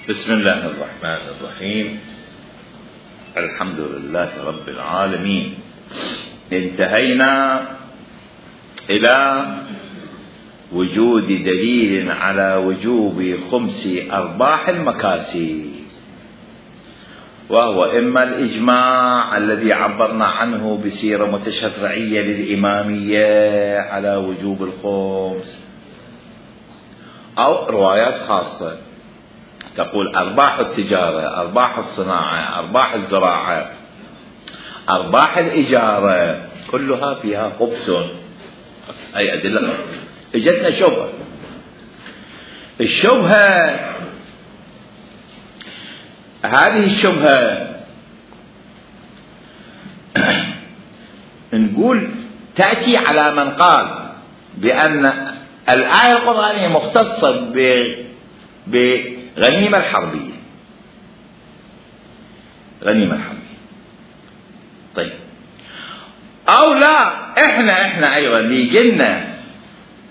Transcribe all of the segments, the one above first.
بسم الله الرحمن الرحيم. الحمد لله رب العالمين. انتهينا إلى وجود دليل على وجوب خمس أرباح المكاسب، وهو إما الإجماع الذي عبرنا عنه بسيرة متشرعية للإمامية على وجوب الخمس، أو روايات خاصة تقول أرباح التجارة، أرباح الصناعة، أرباح الزراعة، أرباح الإجارة، كلها فيها خبث. أي أدلة. اجتنا شبهة. الشبهة هذه الشبهة نقول تأتي على من قال بأن الآية القرآنية مختصة بغنيمة الحربية، غنيمة الحربية. طيب، أو لا، إحنا أيضا يجينا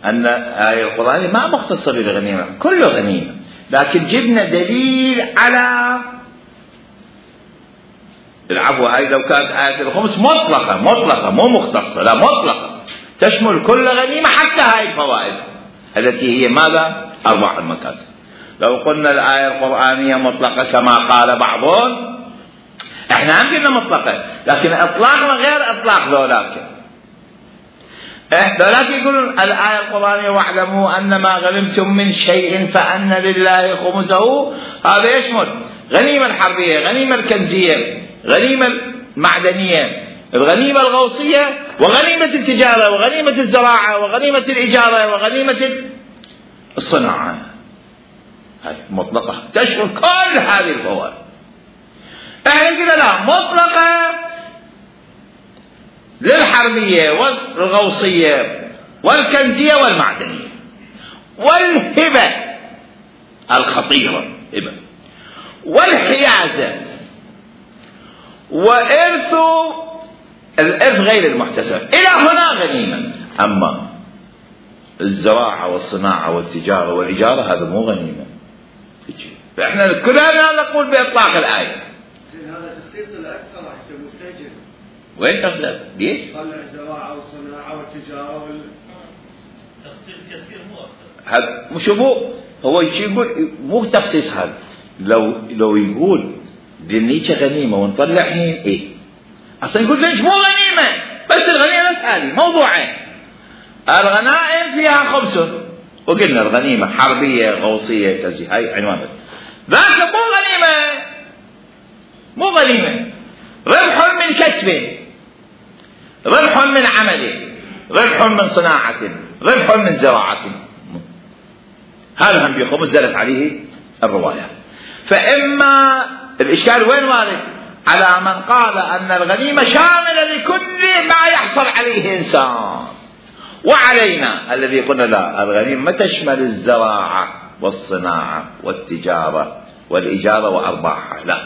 أن الآية القرآنية ما مختصة بالغنيمة، كله غنيمة، لكن جبنا دليل على العفو. هاي لو كانت آية الخمس مطلقة مو مختصة، لا مطلقة تشمل كل غنيمة حتى هاي الفوائد التي هي ماذا؟ أرباح المكاسب. لو قلنا الآية القرآنية مطلقة كما قال بعضهم، احنا هم قلنا مطلقة، لكن اطلاقنا غير اطلاق ذولاك. ذولاك يقولون الآية القرآنية واعلموا أن ما غنمتم من شيء فأن لله خمسه، هذا يشمل غنيمة الحربية، غنيمة الكنزية، غنيمة المعدنية، الغنيمة الغوصية، وغنيمة التجارة، وغنيمة الزراعة، وغنيمة الإجارة، وغنيمة الصناعة. هذه مطلقة تشمل كل هذه الفوائد. احنا كده لا، مطلقة للحربية والغوصية والكنزية والمعدنية، والهبة الخطيرة، هبة، والحيازة، وإرث الإرث غير المحتسب، إلى هنا غنيمة. أما الزراعة والصناعة والتجارة والإجارة هذا مو غنيمة. فإحنا كلنا نقول بإطلاق الآية. هذا تخصيص الأكثر أحسن مستجد. وين تخصيص؟ ليش؟ طلع الزراعة والصناعة والتجارة تخصيص كثير مو أكثر. هذا شوفوا، هو يقول مو تخصيص. هذا لو يقول دنيك غنيمة ونطلع حين إيه؟ أصلا يقول ليش مو غنيمة؟ بس الغنيمة بس هذه موضوعين. الغنائم فيها خمس، وقلنا الغنيمة حربية غوصية كذي، هاي عنوانها. ذاك مو غنيمة، ربح من كسب، ربح من عمل، ربح من صناعة، ربح من زراعة. هذا هم بخمس دلت عليه الرواية. فإما الإشكال وين وارد؟ على من قال أن الغنيمة شاملة لكل ما يحصل عليه إنسان، وعلينا الذي قلنا لا، الغنيمة ما تشمل الزراعة والصناعة والتجارة والإجارة وأرباحها، لا.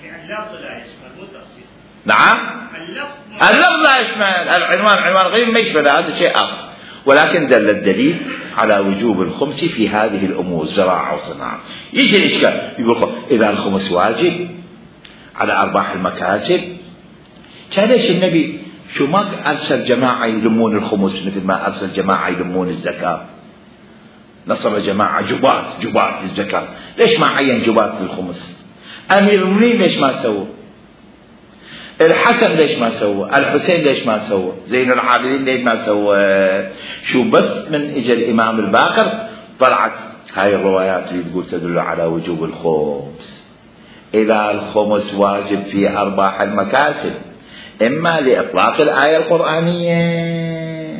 يعني اللفظ لا يشمل، مو تخصيص. نعم، اللفظ لا يشمل، العنوان عنوان غير ما يشمل، هذا شيء آخر. ولكن دل الدليل على وجوب الخمس في هذه الأمور، زراعة وصناعة. يجي الإشكال يقول إذا الخمس واجب على أرباح المكاسب، كان ليش النبي شو ما أرسل جماعة يلمون الخمس مثل ما أرسل جماعة يلمون الزكاة؟ نصب جماعة جبات للزكاة، ليش ما عين جبات للخمس؟ أمير المؤمنين ليش ما سووا؟ الحسن ليش ما سوى؟ الحسين ليش ما سوى؟ زين العابدين ليش ما سوى؟ شو بس من اجى الامام الباقر طلعت هاي الروايات اللي تقول تدل على وجوب الخمس. اذا الخمس واجب في ارباح المكاسب، اما لاطلاق الايه القرانيه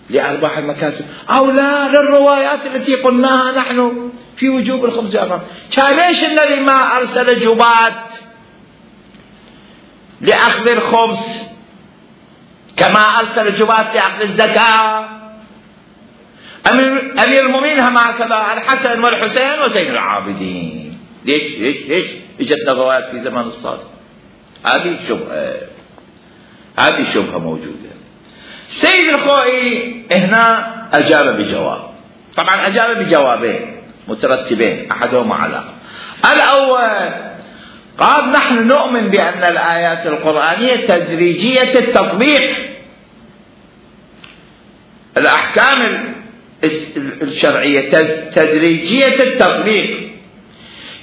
لارباح المكاسب، او لا للروايات التي قلناها نحن في وجوب الخمس. كان ليش الذي ما ارسل جبات لأخذ الخمس كما أرسل الجبات لأخذ الزكاة؟ أمير المؤمنين هم هكذا، الحسن والحسين وزين العابدين. ليش اجتنا روايات في زمان الصادق؟ هذه شبهة موجودة. سيد الخوئي هنا أجاب بجواب، طبعا أجاب بجوابين. مترتبين أحدهما على الأول. قال نحن نؤمن بأن الآيات القرآنية تدريجية التطبيق. الأحكام الشرعية تدريجية التطبيق،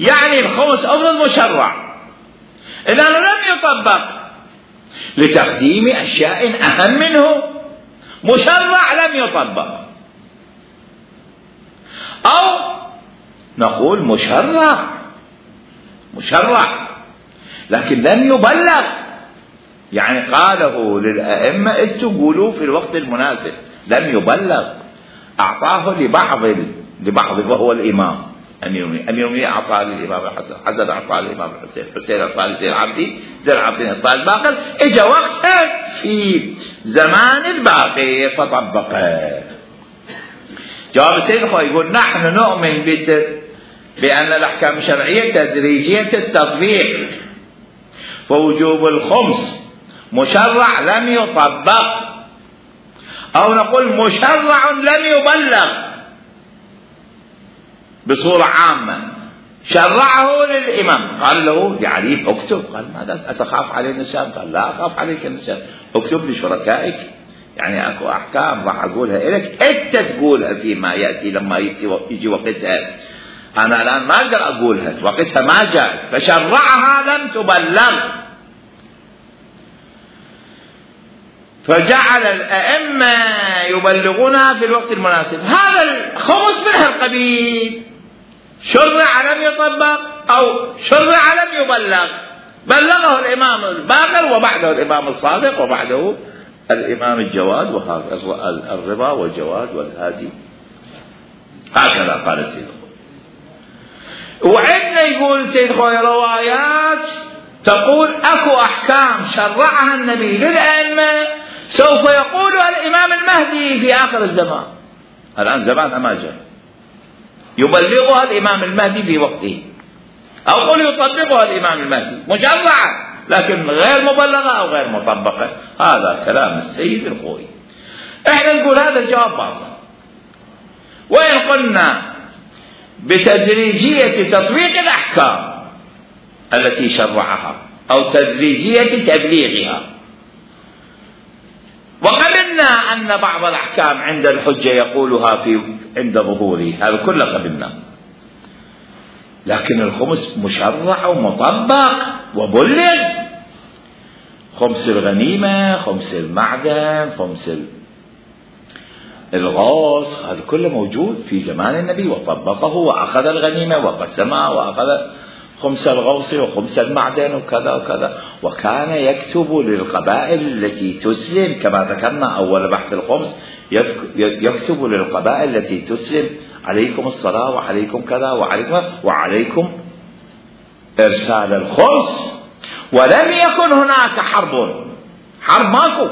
يعني الخمس أمر مشرع إذا لم يطبق لتقديم أشياء أهم منه، مشرع لم يطبق، أو نقول مشرع لكن لم يبلغ، يعني قاله للأئمة تقولوا في الوقت المناسب، لم يبلغ، أعطاه لبعض وهو الإمام. أمير المؤمنين أعطاه للإمام الحسن، حسن أعطاه للإمام الحسين، حسين أعطاه لزين العابدين، زين العابدين أعطاه الباقر، إجا وقتها في زمان الباقر فطبقه. جواب السيد الخوي يقول نحن نؤمن بأن الأحكام الشرعية تدريجية التطبيق، فوجوب الخمس مشرع لم يطبق، أو نقول مشرع لم يبلغ بصورة عامة، شرعه للإمام، قال له لعلي اكتب، قال ماذا أتخاف علي النسيان؟ قال لا أخاف عليك النسيان، اكتب لشركائك، يعني أكو أحكام راح أقولها إليك أنت تقولها فيما يأتي لما يجي وقتها، أنا الآن ما أقدر أقولها، وقتها ما جاء، فشرعها لم تبلغ. فجعل الأئمة يبلغونها في الوقت المناسب. هذا الخمس من هالقبيل، شرع لم يطبق أو شرع لم يبلغ، بلغه الإمام الباقر وبعده الإمام الصادق وبعده الإمام الجواد، وهذا الرضا والجواد والهادي، هكذا قال السيد الخوي. وعندنا يقول السيد الخوي روايات تقول أكو أحكام شرعها النبي للأئمة سوف يقولها الإمام المهدي في آخر الزمان. الآن زمان ما جاء، يبلغها الإمام المهدي في وقته، أو قل يطبقها الإمام المهدي مشرعة لكن غير مبلغة أو غير مطبقة. هذا كلام السيد الخوي. احنا نقول هذا الجواب باطل. وإن قلنا بتدريجية تطبيق الأحكام التي شرعها أو تدريجية تبليغها، وقبلنا أن بعض الأحكام عند الحجة يقولها عند ظهوره، هذا كله قبلنا، لكن الخمس مشرع ومطبق وبلغ. خمس الغنيمة، خمس المعدن، خمس الغوص، هذا كله موجود في زمان النبي وطبقه وأخذ الغنيمة وقسمها وأخذ خمس الغوص وخمس المعدن وكذا وكذا، وكان يكتب للقبائل التي تسلم كما ذكرنا أول بحث الخمس، يكتب للقبائل التي تسلم عليكم الصلاة وعليكم كذا وعليكم إرسال الخمس. ولم يكن هناك حرب ماكو،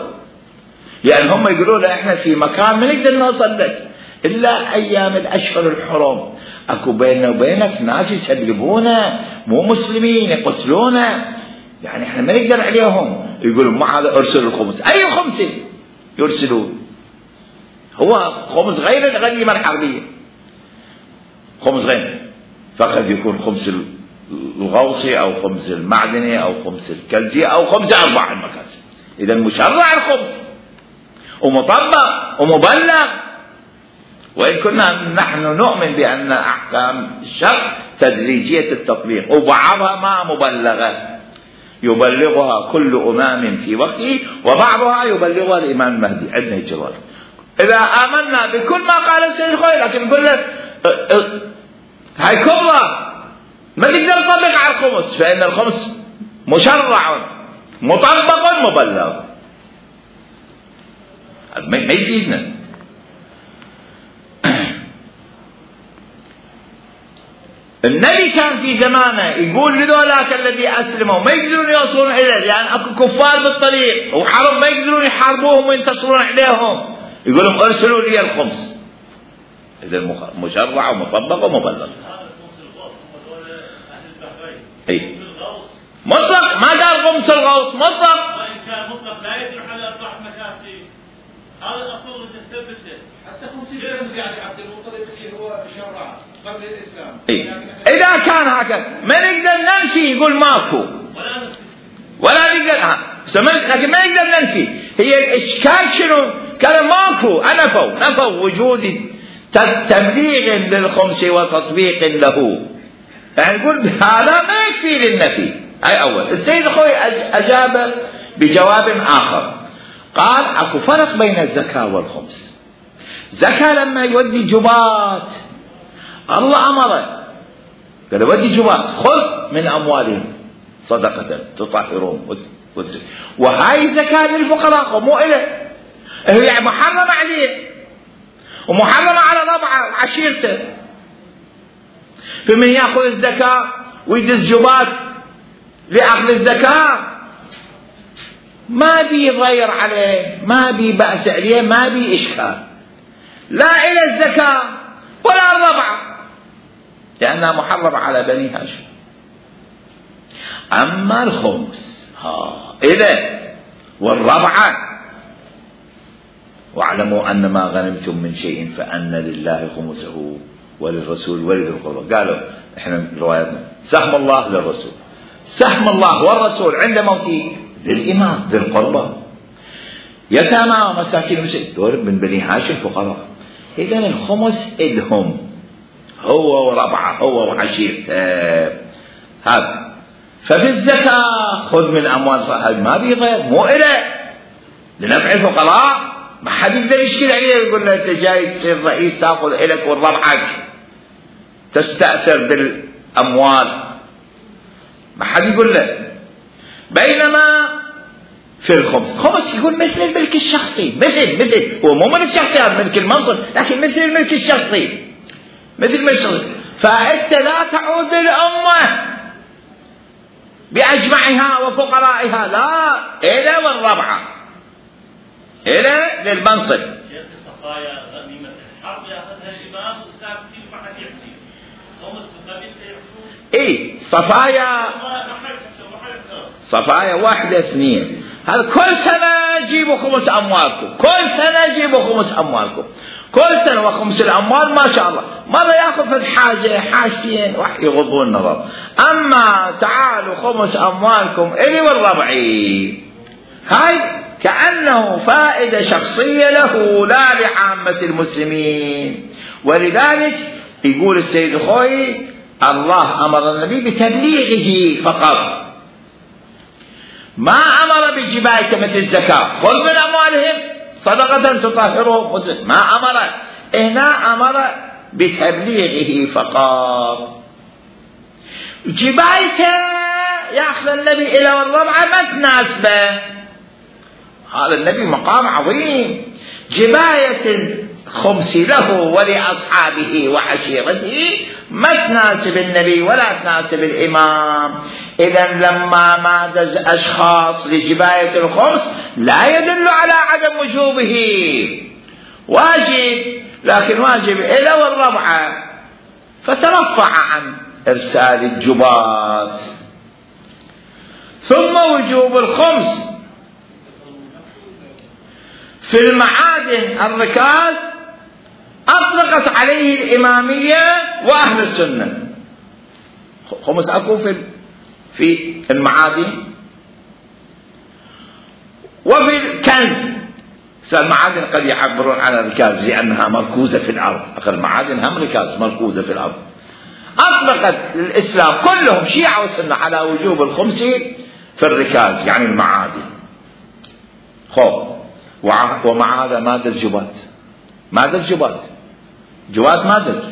لأن هم يقولون احنا في مكان ما نقدر نوصل لك إلا أيام الأشهر الحرم، أكو بيننا وبينك ناس يسلبونا مو مسلمين يقتلونا، يعني احنا ما نقدر عليهم. يقولون ما هذا ارسل الخمس، أي خمس يرسلون؟ هو خمس غير الغنيمة الحربية، خمس غير، فقد يكون خمس الغوصي أو خمس المعدني أو خمس الكلزي أو خمس 4 المكاسب. إذا مشرع الخمس ومطبق ومبلغ. وإن كنا نحن نؤمن بأن أحكام الشرع تدريجية التطبيق وبعضها ما مبلغة، يبلغها كل إمام في وقته وبعضها يبلغها الإمام المهدي. عندنا الجواب إذا آمنا بكل ما قال السيد الخوي، لكن نقول له هاي كبرى ما تقدر تطبق على الخمس، فإن الخمس مشرع مطبق مبلغ، ما يفيدنا. النبي كان في زمانه يقول لذولاك الذي أسلموا ما يقدرون يوصلون إليه، لأن أكو كفار بالطريق وحرب ما يقدرون يحاربوهم وينتصرون عليهم، يقول لهم ارسلوا لي الخمس. إذا مشرع ومطبق ومبلغ. أي مطلق، ما قال خمس الغوص مطلق. وإن كان مطلق لا يجرح على 4 مكاسب، هذا الأصول اللي تثبته. حتى 50 يعني عبد المطلب اللي هو شرع قبل الإسلام. إيه؟ إذا كان هكذا ما نقدر ننفي يقول ماكو ولا نقدر لكن ما نقدر ننفي. هي الإشكال شنو؟ كان ماكو، نفوا وجود تبليغ للخمس وتطبيق له. يعني نقول هذا ما يكفي للنفي. هاي أول. السيد الخوي أجاب بجواب آخر، قال أكو فرق بين الزكاة والخمس. زكاة لما يودي جبات الله أمره، قال يودي جبات خذ من أموالهم صدقة تطهرون، وهاي زكاة للفقراء مو إله، هي محرمة عليه ومحرمة على ربعه وعشيرته. فمن يأخذ الزكاة ويدز جبات لأخذ الزكاة ما بي ضير عليه، ما بي بأس عليه، ما بي إشكال، لا إلى الزكاة ولا الربعة، لأنها محرمة على بني هاشم. أما الخمس إذا والربعة، واعلموا أن ما غنمتم من شيء فأن لله خمسه وللرسول ولذي القربى. قالوا إحنا رواياتنا سهم الله للرسول، سهم الله والرسول عند موته للإمام ذي القربى، يتامى ومساكين دول من بني هاشم فقراء. إذا الخمس إلهم هو وربعه هو وعشيرته هذا. ففي الزكاة خذ من أموال صاحب ما بي غير، مو إله لنفع الفقراء. ما حد يقدر يشكل عليه يقول له أنت جاي تصير رئيس تأخذ إلك والربعك تستأثر بالأموال، ما حد يقول له. بينما في الخمس يقول مثل الملك الشخصي، مثل هو مو ملك شخصي، هذا ملك المنصب، لكن مثل الملك الشخصي، مثل الملك الشخصي. فأنت لا تعود للأمة بأجمعها وفقرائها، لا إلى والربعة إلى للمنصب. شيخ الصفايا غنيمة الحرب يأخذها الإمام وساكتين ما حد يحكي، خمس بالقبيل سيحكون. صفايا واحدة اثنين، هذا كل سنة جيبوا خمس أموالكم، كل سنة جيبوا خمس أموالكم، كل سنة وخمس الأموال ما شاء الله. مرة يأخذ في الحاجة حاجتين يغضون النظر. أما تعالوا خمس أموالكم إلي والربعي، هاي كأنه فائدة شخصية له لا لعامة المسلمين. ولذلك يقول السيد الخوي الله أمر النبي بتبليغه فقط، ما أمر بجباية مثل الزكاة خذ من أموالهم صدقة تطهرهم، ما أمر، هنا أمر بتبليغه فقط. جبايته يأخذ النبي إلى والربعة ما تناسبه، هذا النبي مقام عظيم. جباية الخمس له ولأصحابه وعشيرته ما تناسب النبي ولا تناسب الإمام. إذا لما مادز أشخاص لجباية الخمس لا يدل على عدم وجوبه، واجب، لكن واجب إلى والربعة، فترفع عن إرسال الجبات. ثم وجوب الخمس في المعادن الركاز أطلقت عليه الإمامية وأهل السنة. خمس أكو في المعادن وفي الكنز. فالمعادن قد يعبرون عن الركاز لأنها مركوزة في الأرض، أخر المعادن هم ركاز مركوزة في الأرض. أطلقت الإسلام كلهم شيعة وسنة على وجوب الخمس في الركاز يعني المعادن. ومع هذا ما دز جبات، ما دز جبات ما دز.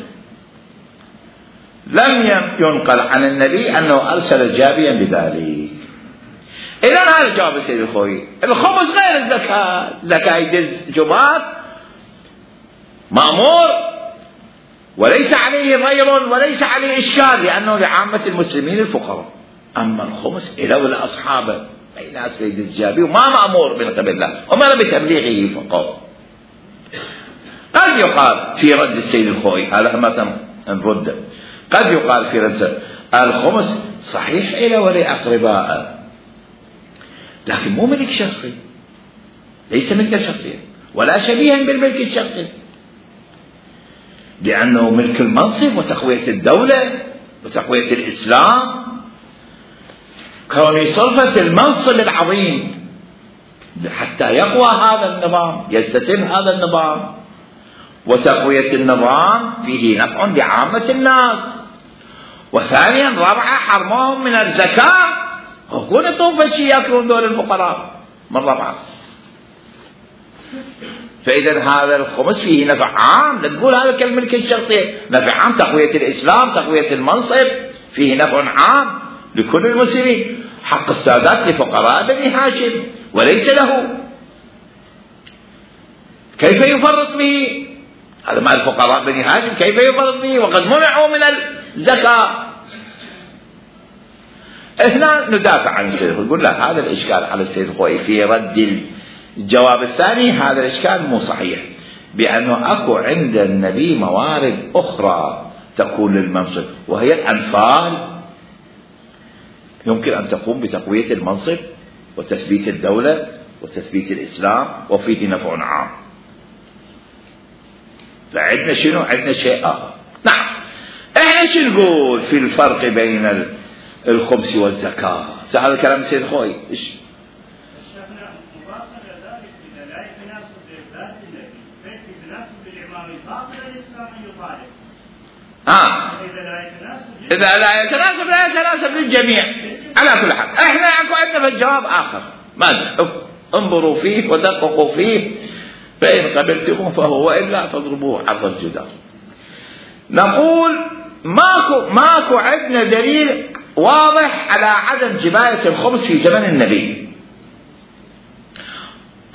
لم ينقل عن النبي أنه أرسل جابيا بذلك. إذا هذا جواب السيد الخوي. الخمس غير الزكاة، زكاة يدز جبات مأمور وليس عليه ضير وليس عليه إشكال لأنه لعامة المسلمين الفقراء. أما الخمس إلى والأصحاب أي ناس يدز الجابي وما مأمور من قبل الله وما بتبليغه فقط. قد يقال في رد السيد الخوي، هذا مثلا نرد، قد يقال في رد الخمس صحيح إلى ولأقرباء، لكن مو ملك شخصي، ليس ملك شخصي ولا شبيها بالملك الشخصي. لأنه ملك المنصب وتقوية الدولة وتقوية الإسلام، كون يصرف في المنصب العظيم حتى يقوى هذا النظام، يستتم هذا النظام، وتقوية النظام فيه نفع لعامة الناس. وثانيا رابعا حرمهم من الزكاة، وكون يطوف شيء يأكلون دول الفقراء من رابعا. فإذا هذا الخمس فيه نفع عام، لا تقول هذا كالملك الشخصي، نفع عام، تقوية الإسلام، تقوية المنصب، فيه نفع عام لكل المسلمين. حق السادات لفقراء بني هاشم وليس له، كيف يفرط به؟ هذا مع الفقراء بني هاشم كيف يفرط به وقد منعوا من الزكاة؟ هنا ندافع عن السيد الخوئي، نقول لا، هذا الإشكال على السيد الخوئي في رد الجواب الثاني، هذا الإشكال مو صحيح، بأنه أكو عند النبي موارد أخرى تكون للمنصب، وهي الأنفال، يمكن أن تقوم بتقوية المنصب وتثبيت الدولة وتثبيت الإسلام وفيه نفع عام. فعندنا شنو؟ عندنا شيء آخر. نعم، احنا شو نقول في الفرق بين الخمس والزكاة؟ هذا كلام السيد الخوئي. إذا لا يتناسب لا يتناسب للجميع على كل حال. احنا عندنا في الجواب آخر، ماذا؟ انظروا فيه ودققوا فيه، فإن قبلتموه فهو، وإلا فاضربوه عرض الجدار. نقول ماكو عندنا دليل واضح على عدم جباية الخمس في زمن النبي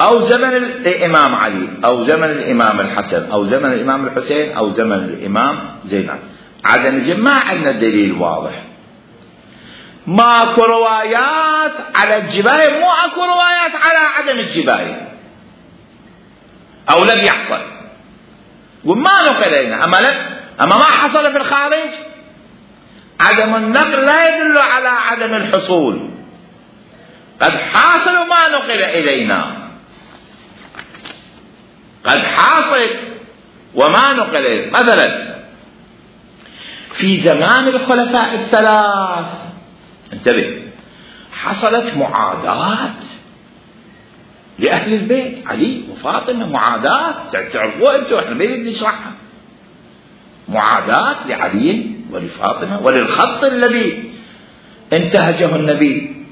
أو زمن الإمام علي أو زمن الإمام الحسن أو زمن الإمام الحسين أو زمن الإمام زينب. عدم ما عندنا دليل واضح. ماكو روايات على الجباية، مو اكو روايات على عدم الجباية أو لم يحصل، وما نقل إلينا. أما ما حصل في الخارج، عدم النقل لا يدل على عدم الحصول، قد حاصل وما نقل إلينا، قد حاصل وما نقل إلينا. مثلا في زمان الخلفاء الثلاث، انتبه، حصلت معاداة لأهل البيت، علي وفاطمة، معاداة تعرفوها أنتم، احنا ما نريد نشرحها. معاداة لعلي ولفاطمة وللخط الذي انتهجه النبي،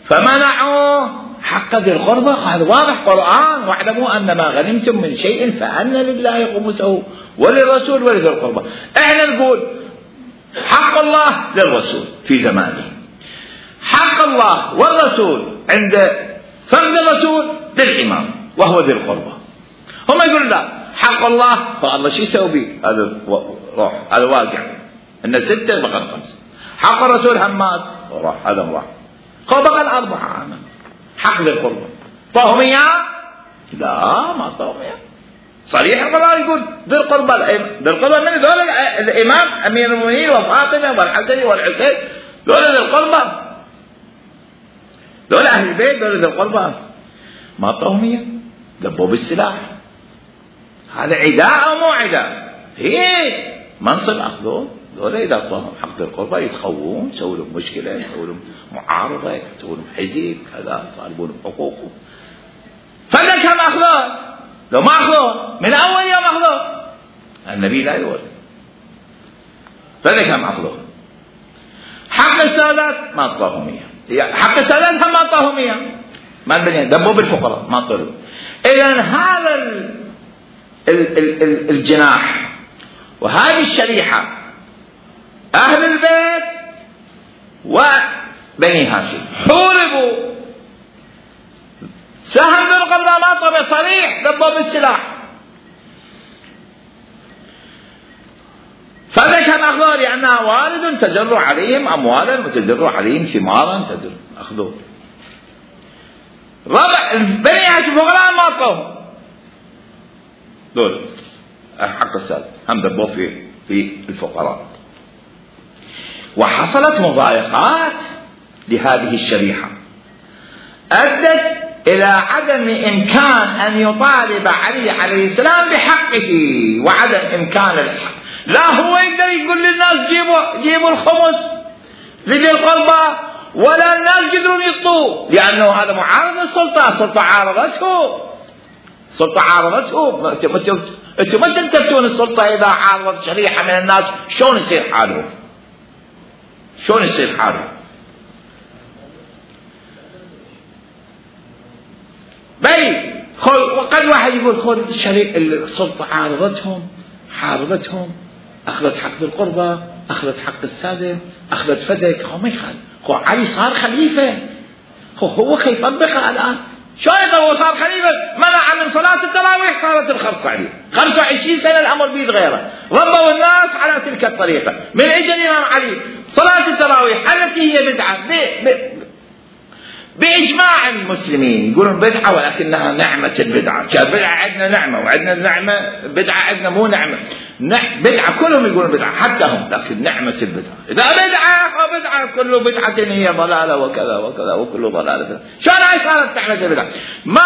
فمنعوا حق ذي القربى. هذا واضح قرآن، واعلموا أن ما غنمتم من شيء فأن لله خمسه وللرسول ولذي القربى. احنا نقول حق الله للرسول في زمانه، حق الله والرسول عند فرد الرسول للإمام وهو ذي القربى. هم يقولون لا، حق الله فالله شو يسوي به؟ هذا روح، هذا واقع، إن 6 بقى 5. حق الرسول همات وراح، هذا راح، هو بقى 4. حق ذي القربى طاهم إياه؟ لا، ما طاهم إياه. صريح القرآن يقول ذي القربى. ذي القربى من ذول الإمام أمير المؤمنين وفاطمة والحسن والحسين، ذول ذي القربى، ذول أهل البيت، ذول ذي القربى. ما طاهم إياه، دبوا بالسلاح. هذا عداء أو مو عداء؟ هي منصب أخذوه. ذولا إذا طاهم حق ذي القربى يتخوون، يسووا لهم مشكلة، يسووا لهم معارضة، يسووا لهم حزب كذا، يطالبون بحقوقهم. فلا كم أخذوه؟ لو ما أخذوه من أول يوم أخذوه، النبي لا يقول. فلا كم أخذوه؟ حق السادات ما طاهم إياه، حق السادات هم ما طاهم إياه، ما البنية دبوا بالفقراء ما طلوا. إذن هذا الجناح وهذه الشريحة أهل البيت وبني هاشم حوربوا، سهم ذي القربى ما طلع صريح، دبوا بالسلاح. فذكر أخذوا لأنها والد تجر عليهم أموالا وتجر عليهم ثمارا تجر أخذوا. ربع بني هاشم فقراء ما طلعوا دول حق السادة، هم دبوا في الفقراء. وحصلت مضايقات لهذه الشريحة أدت إلى عدم إمكان أن يطالب علي عليه السلام بحقه وعدم إمكان الحق. لا هو يقدر يقول للناس جيبوا الخمس لذي القربى، ولا الناس يقدرون يعطوه، لأنه هذا معارض للسلطة. السلطة عارضته. أنتم ما تلتفتون السلطة إذا عارضت شريحة من الناس شلون يصير حالهم؟ بل وقد واحد يقول السلطة حاربتهم، أخذت حق القربة، أخذت حق السادة، أخذت فدك. هو ما يخالف. علي صار خليفة، هو يطبقها الآن. شو هو صار خليفة؟ منع من صلاة التراويح، صارت الخمس عليه 25 سنة الأمر بيد غيره، ربوا الناس على تلك الطريقة. من أجل الإمام علي صلاة التراويح التي هي بدعة بإجماع المسلمين، يقولون بدعة ولكنها نعمة البدعة. بدعة عندنا نعمة، وعندنا نعمة بدعة، عندنا مو نعمة. بدعة كلهم يقولون بدعة حتى هم، لكن نعمة البدعة. إذا بدعة كل بدعة هي ضلالة وكذا وكذا وكل ضلالة. شو أنا صارت نعمة البدعة؟ ما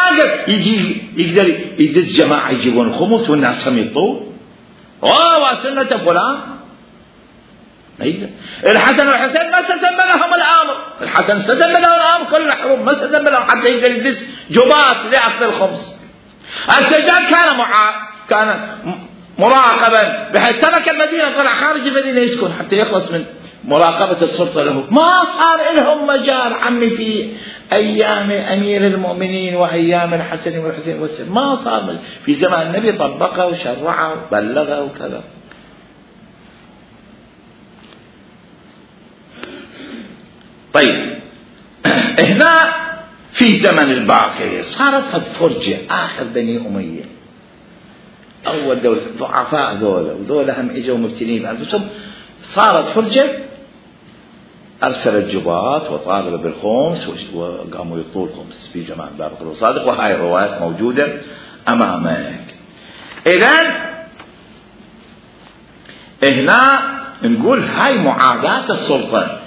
يقدر يدز جماعة يجيبون الخمس والناس هم يطول وسنة فلان. الحسن والحسين ما استتم لهم الامر، الحسن استتم لهم الامر كل الحروب، ما استتم لهم حتى يقدر يدز جبات لاخذ الخمس. السجاد كان مراقبا، بحيث ترك المدينه، طلع خارج المدينه يسكن حتى يخلص من مراقبه السلطه له. ما صار لهم مجال عمي في ايام امير المؤمنين وايام الحسن والحسين والسيد، ما صار في زمان النبي طبقه وشرعه وبلغه وكذا. طيب هنا في زمن الباقر صارت فرجة آخر بني أمية، أول دولة ضعفاء ذولا، وذولا هم إجوا مبتلين بأنفسهم. صارت فرجة، أرسلت جبات وطالب بالخمس وقاموا يطول خمس في زمان باقر وصادق، وهاي الروايات موجودة أمامك. إذن هنا نقول هاي معاداة السلطة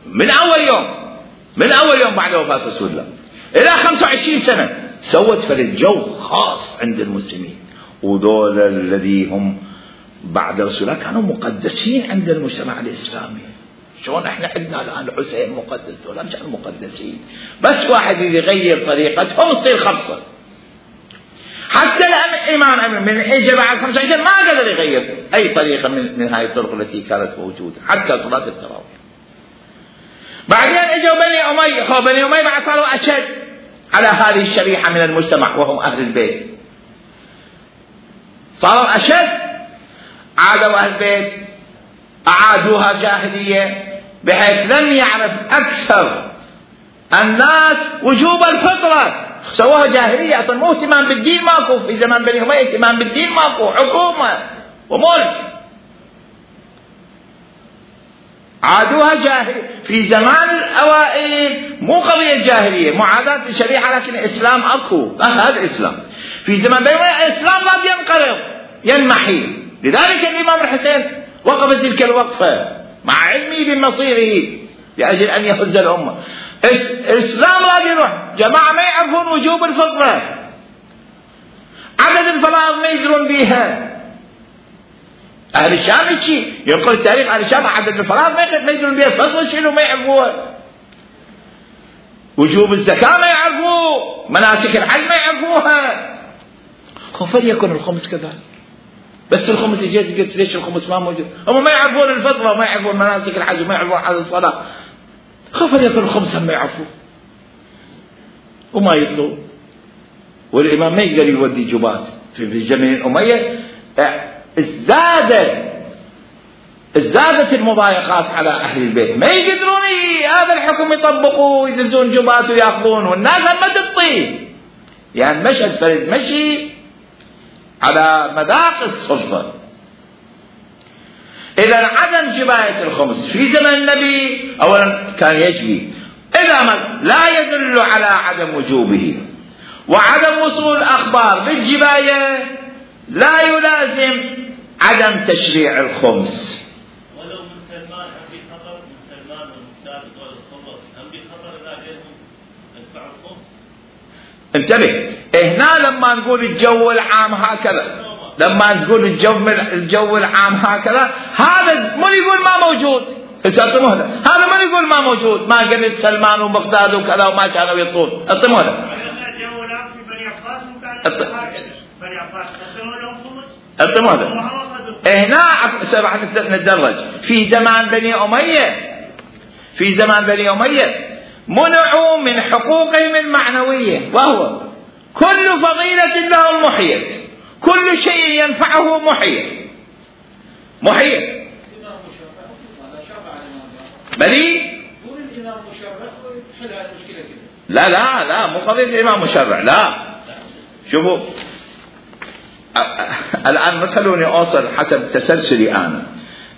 من أول يوم بعد وفاة رسول الله إلى 25 سنة سوت فرد جو خاص عند المسلمين. وذول الذي هم بعد رسول الله كانوا مقدسين عند المجتمع الإسلامي. شلون احنا عندنا الآن الحسين مقدس، دول مش مقدسين، بس واحد يغير طريقتهم تصير خمسة. حتى الإمام من إجا بعد 25 ما قدر يغير أي طريقة من هاي الطرق التي كانت موجودة، حتى صلاة التراويح. بعدين اجوا بني أمية بعد صاروا أشد على هذه الشريحة من المجتمع وهم أهل البيت، صاروا أشد. عادوا أهل البيت أعادوها جاهلية، بحيث لم يعرف أكثر الناس وجوب الفطرة، سووها جاهلية. أصلا مو اهتمام بالدين ماكو في زمان بني أمية، اهتمام بالدين ماكو، حكومة وملك. عادوها جاهلية في زمان الأوائل، مو قضية جاهلية معاداة الشريعة، لكن الإسلام أكو، هذا الإسلام. في زمان بني أمية الإسلام لا ينقرض ينمحي، لذلك الإمام الحسين وقف تلك الوقفة مع علمه بمصيره لأجل أن يهز الأمة. الإسلام لا يروح. جماعة ما يعرفون وجوب الفطرة، عدد الفرائض ما يدرون بيها. أهل الشام شيء ينقل التاريخ، أهل الشام عدد الفرائض ما يدرون بيها، الفطرة شنو ما يعرفوها، وجوب الزكاة ما يعرفوه، مناسك الحج ما يعرفوها. فليكن الخمس كذلك. بس الخمس جيت قلت ليش الخمس ما موجود؟ هم ما يعرفون الفطرة وما يعرفون مناسك الحج وما يعرفون عدد الصلاة. فليكن الخمس هم ما يعرفوه وما يطلوا. والإمام ما يقدر يودي جبات في جميع الأمية. ازدادت المضايقات على أهل البيت، ما يقدرون هذا الحكم يطبقوه ويدزون جبات ويأخذون، والناس ما تطيب. يعني مشهد فرد مشي على مذاق السلطة. إذا عدم جباية الخمس في زمن النبي أولا كان يجبي، إذا ما لا يدل على عدم وجوبه، وعدم وصول الأخبار بالجباية لا يلازم عدم تشريع الخمس. ولو من سلمان في خطر، من سلمان والمختار دول الخمس هم انتبه، هنا لما نقول الجو العام هكذا، لما نقول الجو العام هكذا، هذا من يقول ما موجود؟ اعطوا مهله، هذا من يقول ما موجود؟ ما قبل سلمان وبغداد وكذا وما كانوا يطول، اعطوا مهله. الجو العام في بني عباس وكان بني عباس قسموا لهم خمس. اعطوا مهله. هنا راح نتدرج. في زمان بني أمية، في زمان بني أمية منعوا من حقوقهم المعنوية، وهو كل فضيلة لهم محيت، كل شيء ينفعه محيت. محيت بلي لا لا لا، مو قضية الإمام مشرع، لا. شوفوا الآن ما تخلوني أوصل حسب تسلسلي أنا.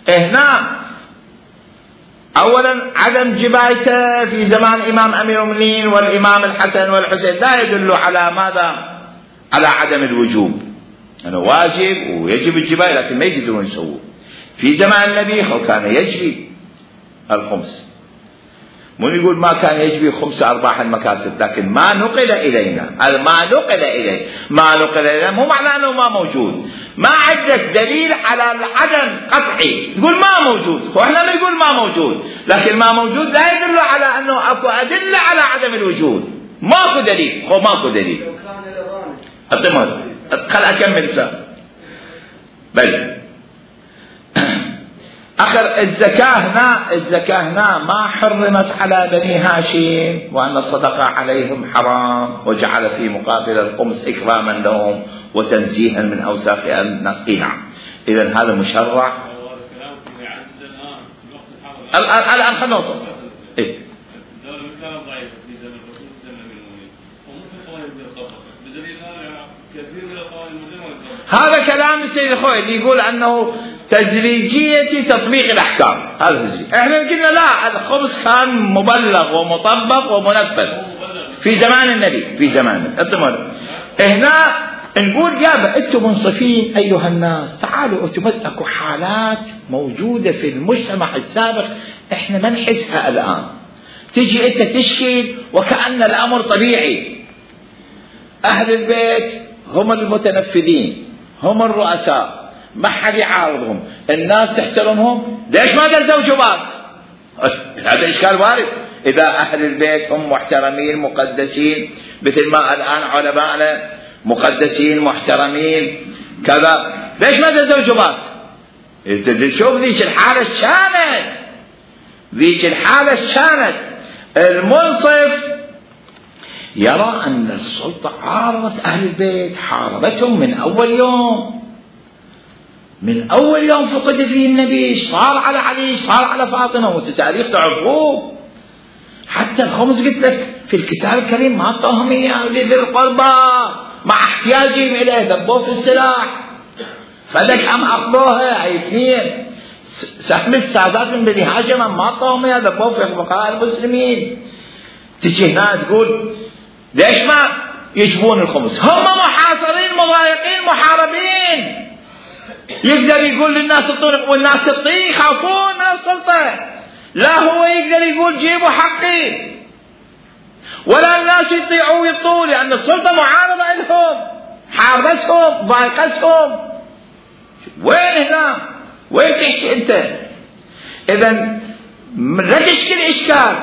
هنا أولا عدم جبايته في زمان إمام أمير المؤمنين والإمام الحسن والحسين لا يدل على ماذا؟ على عدم الوجوب، أنه واجب ويجب الجباية، لكن ما يقدرون يسووه. في زمان النبي كان يجري الخمس، من يقول ما كان يجري خمس أرباح المكاسب، لكن ما نقل إلينا، ما نقل إلينا مو معناه أنه ما موجود. ما عندك دليل على العدم قطعي تقول ما موجود، وإحنا نقول ما موجود، لكن ما موجود لا يدل على أنه أكو أدلة على عدم الوجود. ماكو دليل، ماكو دليل. خل أكمل سا. بل آخر الزكاة هنا ما حرمت على بني هاشم، وأن الصدقة عليهم حرام، وجعل في مقابل الخمس إكراما لهم وتنزيها من أوساخ الناس. نعم، إذن هذا مشرع. الآن خلنا نوصل. هذا كلام السيد الخوي اللي يقول أنه تدريجية تطبيق الأحكام، هذا الشيء. احنا قلنا لا، الخبز كان مبلغ ومطبق ومنفذ في زمان النبي، في زمان هنا نقول يا انتم منصفين ايها الناس، تعالوا انتم اكو حالات موجودة في المجتمع السابق احنا ما نحسها الآن. تجي انت تشكي وكأن الأمر طبيعي. أهل البيت هم المتنفذين، هم الرؤساء، ما حد يعارضهم، الناس تحترمهم، ليش ما دزوا جبات؟ هذا إشكال وارد. إذا أهل البيت هم محترمين مقدسين، مثل ما الآن علماءنا مقدسين محترمين كذا، ليش ما دزوا جبات؟ شوف ذيك الحالة كانت المنصف يرى أن السلطة عارضت أهل البيت، حاربتهم من أول يوم فقد فيه النبي، صار على علي، صار على فاطمة، وتاريخ تعرفوه. حتى الخمس قلت لك في الكتاب الكريم ما أعطوهم إياه لذي القربى مع احتياجهم إليه، ذبوه في السلاح، فلك أم أخذوها أي اثنين. سهم السادات من بني هاشم ما أعطوهم إياه، ذبوه في فقراء المسلمين. تجي هنا تقول ليش ما يجبون الخمس؟ هم محاصرين مضايقين محاربين. يقدر يقول للناس الطرق والناس تطيع، يخافون من السلطة. لا هو يقدر يقول جيبوا حقي، ولا الناس يطيعوا ويطيعوا، لأن السلطة معارضة لهم، حاربتهم ضايقتهم. وين هنا؟ وين تحكي أنت؟ إذن لا تشكل إشكال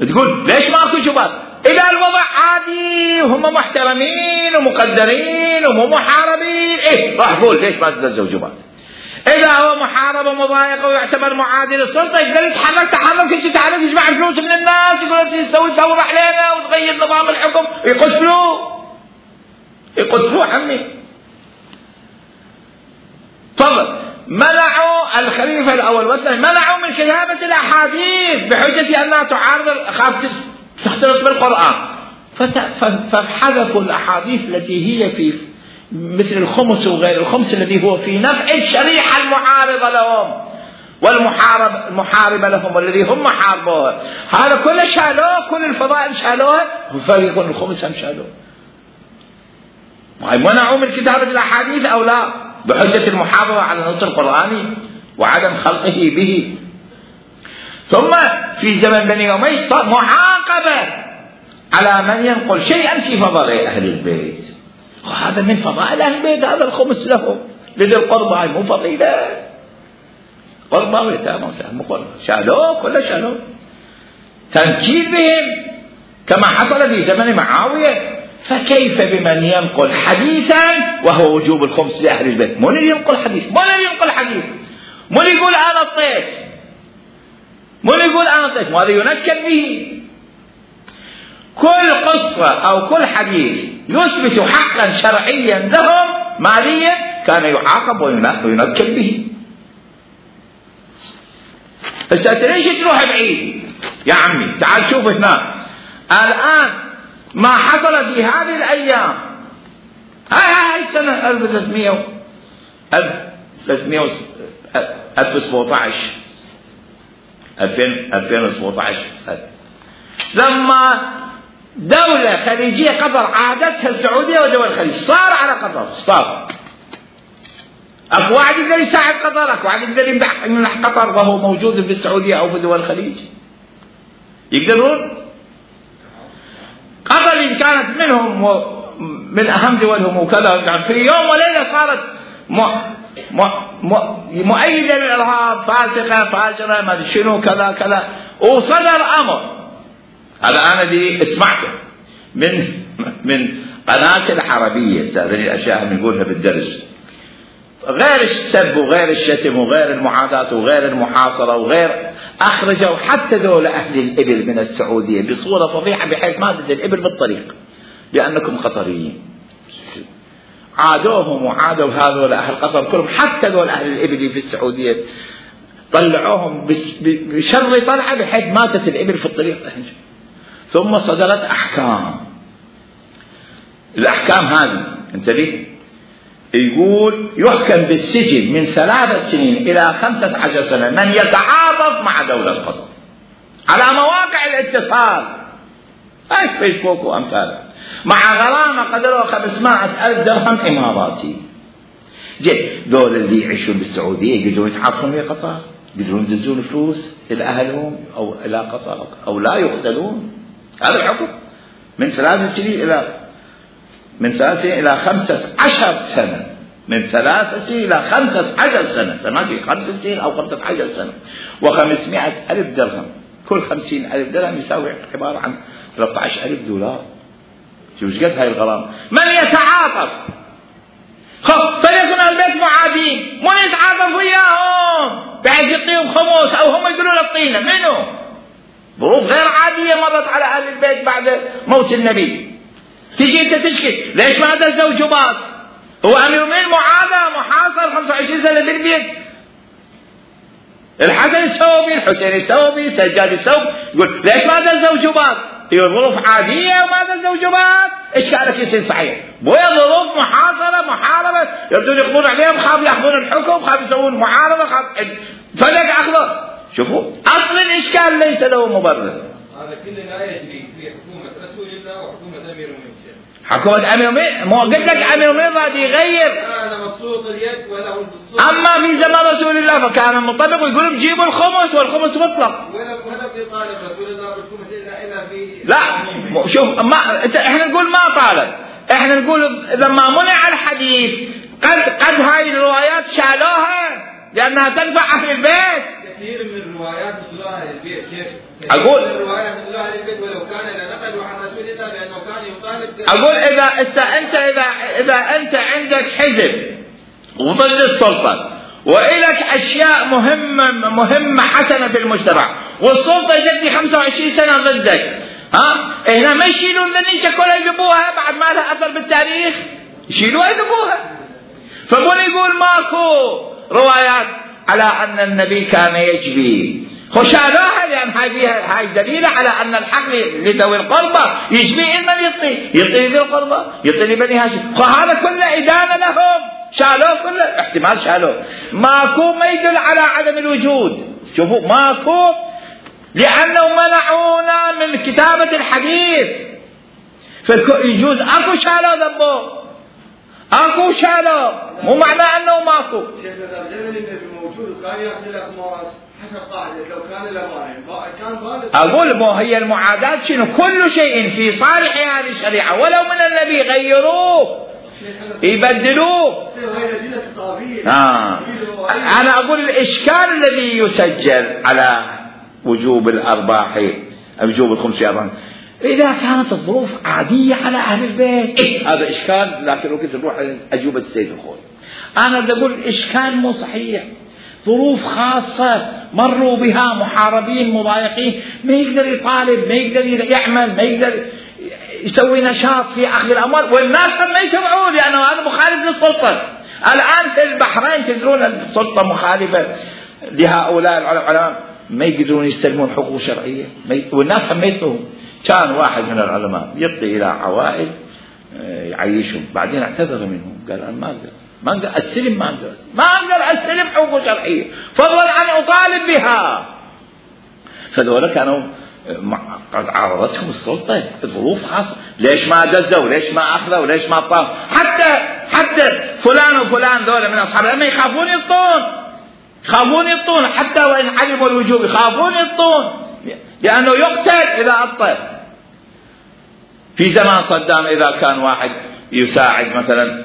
تقول ليش ماكو جبات؟ إذا الوضع عادي وهم محترمين ومقدرين ومو محاربين، راح قول ليش ما تدزوا جبات؟ إذا هو محارب ومضايق ويعتبر معادي للسلطة، يقدر يتحرك تعرف يجمع فلوس من الناس، يقول تسوي ثورة علينا وتغير نظام الحكم، يقتلوه عمي. تفضل. منعوا الخليفة الأول والثاني، منعوا من كتابة الأحاديث بحجة أنها تعارض، خاف تختلط بالقرآن، فحذفوا الأحاديث التي هي في مثل الخمس وغير الخمس، الذي هو في نفع الشريحة المعارضة لهم والمحاربة لهم، والذي هم حاربوها. هذا كله شالوه، كل الفضائل شالوها، وفريق الخمس هم شالوه. منعوا من كتابة الأحاديث أو لا بحجة المحافظة على النص القرآني وعدم خلقه به. ثم في زمن بني أمية صار على من ينقل شيئا في فضائل أهل البيت، وهذا من فضائل أهل البيت، هذا الخمس لهم لذي القربى، هاي مو فضيلة، قربى ويتامى مو قربى، شالوه كله شالوه، تنكيل بهم كما حصل في زمن معاوية. فكيف بمن ينقل حديثا وهو وجوب الخمس لأهل البيت؟ من اللي ينقل حديث؟ من اللي ينقل حديث؟ من يقول أنا طيت؟ من يقول أنا طيت؟ ماذا ينكل به؟ كل قصة أو كل حديث يثبت حقا شرعيا لهم ماليا كان يعاقب وينكل به. هسه ليش تروح بعيد يا عمي؟ تعال شوف هنا الآن ما حصل في هذه الأيام، هاي السنة 2017 لما دولة خليجية قطر عادتها السعودية ودول الخليج صار على قطر، صار اكو واحد يقدر يساعد قطر، اكو واحد يقدر يمنح قطر وهو موجود في السعودية او في دول الخليج؟ يقدرون؟ قطر اللي كانت منهم من اهم دولهم وكذا، كان في يوم وليلة صارت مؤيدة للإرهاب، فاسقة فاجرة ما شنو كذا كذا، وصدر أمر. هذا أنا دي اسمعته من قناة العربية، هذه الأشياء اللي نقولها بالدرس، غير السب وغير الشتم وغير المعاداة وغير المحاصرة وغير، أخرجوا حتى ذول أهل الإبل من السعودية بصورة فضيحة بحيث ما تدل الإبل بالطريق لأنكم قطريين. عادوهم وعادوا هذول أهل قطر كلهم، حتى ذول أهل الإبل في السعودية طلعوهم بشر طلعة بحيث ماتت الإبل في الطريق. ثم صدرت أحكام، الأحكام هذه أنت ليه يقول يحكم بالسجن من 3 سنين إلى 15 سنة من يتعاطف مع دولة قطر على مواقع الاتصال، هاي فيسبوك وأمثاله، مع غرامة قدره 500,000 درهم إماراتي. دول اللي يعيشون بالسعودية يقدرون يتعاطفون مع قطر، يقدرون يدزون فلوس إلى أهلهم أو إلى قطر أو لا يقتلون. هذا الحكم من 3 سنين إلى 15 سنة، من 3 سنين إلى 15 سنة، سمعتي 5 سنين أو 15 سنة، و500,000 درهم، كل 50,000 درهم يساوي عبارة عن 13,000 دولار. شوف ايش قد هاي الغرامة. من يتعاطف فليكن البيت معادين، من يتعاطف وياهم بحيث يعطيهم خمس أو هم يقولون الطينة، منو؟ ظروف غير عادية مرت على أهل البيت بعد موت النبي. تجي أنت تشكي ليش ما دزوا جباط؟ هو أمير المؤمنين معادى محاصر 25 سنة بالبيت، الحسن الثوبي الحسين الثوبي سجاد الثوبي يقول ليش ما دزوا جباط؟ هي ظروف عادية وما دزوا جباط، إشكالك يصير صحيح. بويا ظروف محاصرة محاربة، يبدون يقضون عليهم، خاف يأخذون الحكم، خاف يسوون معارضة، خاف فلك أخضر. شوفوا أصل الإشكال ليس له مبرر. هذا كله لا يجري في حكومة رسول الله وحكومة أمير المؤمنين. حكومة أمير المؤمنين، ما قلت لك أمير المؤمنين راد يغير. أنا مبسوط اليد ولا الصوت. أما في زمان رسول الله فكان مطبق ويقولون جيبوا الخمس والخمس مطلق. ولا بيطالب رسول الله بالخمس إلا في. لا شوف ما إحنا نقول ما طالب، إحنا نقول لما منع الحديث قد هاي الروايات شالوها لأنها تنفع أهل البيت. كثير من الروايات وصلوها أهل البيت شيخ. أقول الروايات وصلوها أهل البيت ولو كان نقلوا عن رسول الله لأنه كان يطالب. أقول إذا أنت عندك حزب وضد السلطة وإلك أشياء مهمة حسنة في المجتمع والسلطة جدي 25 سنة ضدك، هنا ما يشيلون ذنيشة كلها يذبوها بعد ما لها أثر بالتاريخ، يشيلوها يذبوها. فبون يقول ماكو روايات على أن النبي كان يجبي، خشالوها لأن هاي دليلة على أن الحق لذوي القربى يجبي من يعطي ذي القربى، يعطي لبني هاشم، فهذا كله إدانة لهم، شالوه كله، احتمال شالوه، ماكو ما يدل على عدم الوجود. شوفوا ماكو لأنه منعونا من كتابة الحديث، فيجوز أكو شالوه ذنبه، اكو شالوا، مو معنى انه ماكو. شيخنا اذا زمن النبي موجود وكان ياخذ الاخماس حسب قاعده لو كان له كان بالغ. اقول مو هي المعاداة شنو؟ كل شيء في صالح هذه الشريعه ولو من النبي غيروه يبدلوه. انا اقول الاشكال الذي يسجل على وجوب الارباح، وجوب الخمس أرباح، إذا كانت الظروف عادية على أهل البيت هذا إشكال، لكن وقت نروح أجوبة السيد الخوي. أنا بدي أقول الإشكال مو صحيح، ظروف خاصة مروا بها محاربين مضايقين، ما يقدر يطالب، ما يقدر يعمل، ما يقدر يسوي نشاط في أخذ الأموال، والناس ما يسمعون لأنه هذا مخالف للسلطة. الآن في البحرين تدرون السلطة مخالفة لهؤلاء العلماء، ما يقدرون يستلمون حقوق شرعية، والناس هم يطلبون. كان واحد من العلماء يعطي إلى عوائل يعيشهم، بعدين اعتذر منهم، قال أنا ما أقدر أستلم، ما أقدر أستلم حقوق شرعية، فضلا عن أطالب بها. فذولا كانوا قد عارضتهم السلطة ظروف خاصة، ليش ما دزوا، ليش ما أخذوا، ليش ما طاف. حتى فلان وفلان ذولا من أصحاب الأمة يخافون يطون، حتى وإن علموا الوجوب يخافون يطون، لأنه يقتل إذا أبطل. في زمان صدام إذا كان واحد يساعد مثلا،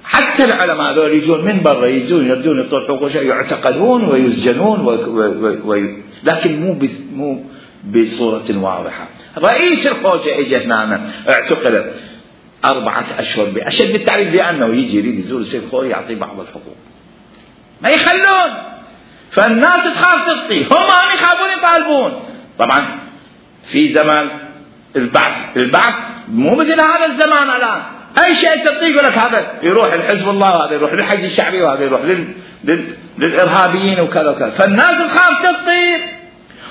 حتى العلماء هذول يجون من برا، يردون يطول حقوق شيء، يعتقلون ويسجنون لكن مو بصورة واضحة. رئيس الخوجة اجى هنا اعتقل 4 أشهر بأشد التعريف، لأنه يجي يريد يزور الشيخ الخوي يعطي بعض الحقوق، ما يخلون، فالناس تخاف تعطي، هم يخافون يطالبون. طبعا في زمان البعث مو مثل هذا الزمان الآن، أي شيء تعطيه يقول لك هذا يروح لحزب الله، وهذا يروح للحج الشعبي، وهذا يروح للإرهابيين وكذا وكذا، فالناس تخاف تعطي.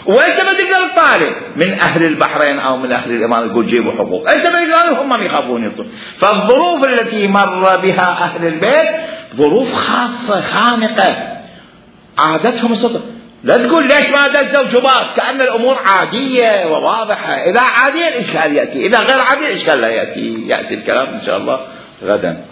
وأنت ما تقدر تطالب من أهل البحرين أو من أهل الإمارات تقول جيبوا حقوق، أنت ما تقدر، هم يخافون يطلبون. فالظروف التي مر بها أهل البيت ظروف خاصة خانقة عادتهم السلطة. لا تقول ليش ما دزوا جباس، كأن الأمور عادية وواضحة. إذا عادية الإشكال يأتي، إذا غير عادية الإشكال لا يأتي الكلام إن شاء الله غدا.